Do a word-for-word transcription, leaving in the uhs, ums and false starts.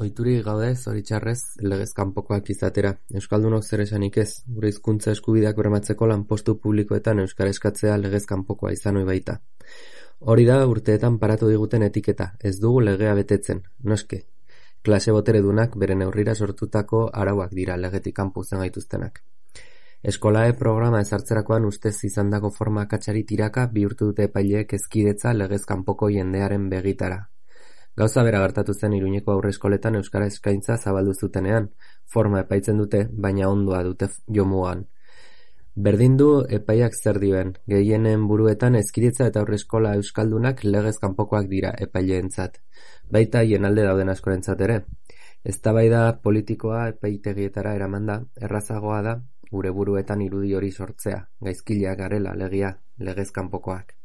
Ohiturik gaude, zoritxarrez, legez kanpokoak izatera. Euskaldunok zer esanik ez, gure hizkuntza eskubideak bermatzeko lanpostu publikoetan euskara eskatzea legez kanpokoa izan ohi baita. Hori da urteetan paratu diguten etiketa, ez dugu legea betetzen, noske. Klase boteredunak bere neurrira sortutako arauak dira legetik kanpo uzten gaituztenak. Eskolae programa ezartzerakoan ustez izandako forma akatsari tiraka bihurtu dute epaileek hezkidetza legez kanpoko jendearen begitara. Gauza bera gertatu zen Iruñeko aurreskoletan euskara eskaintza zabaldu zutenean, forma epaitzen dute, baina ondoa dute jomugan. Berdin du epaiak zer dioen, gehienen buruetan hezkidetza eta aurreskola euskaldunak legez kanpokoak dira epaileentzat, baita jenalde dauden askorentzat ere. Eztabaida politikoa epaitegietara eramanda, errazagoa da gure buruetan irudi hori sortzea, gaizkileak garela legia, legez kanpokoak.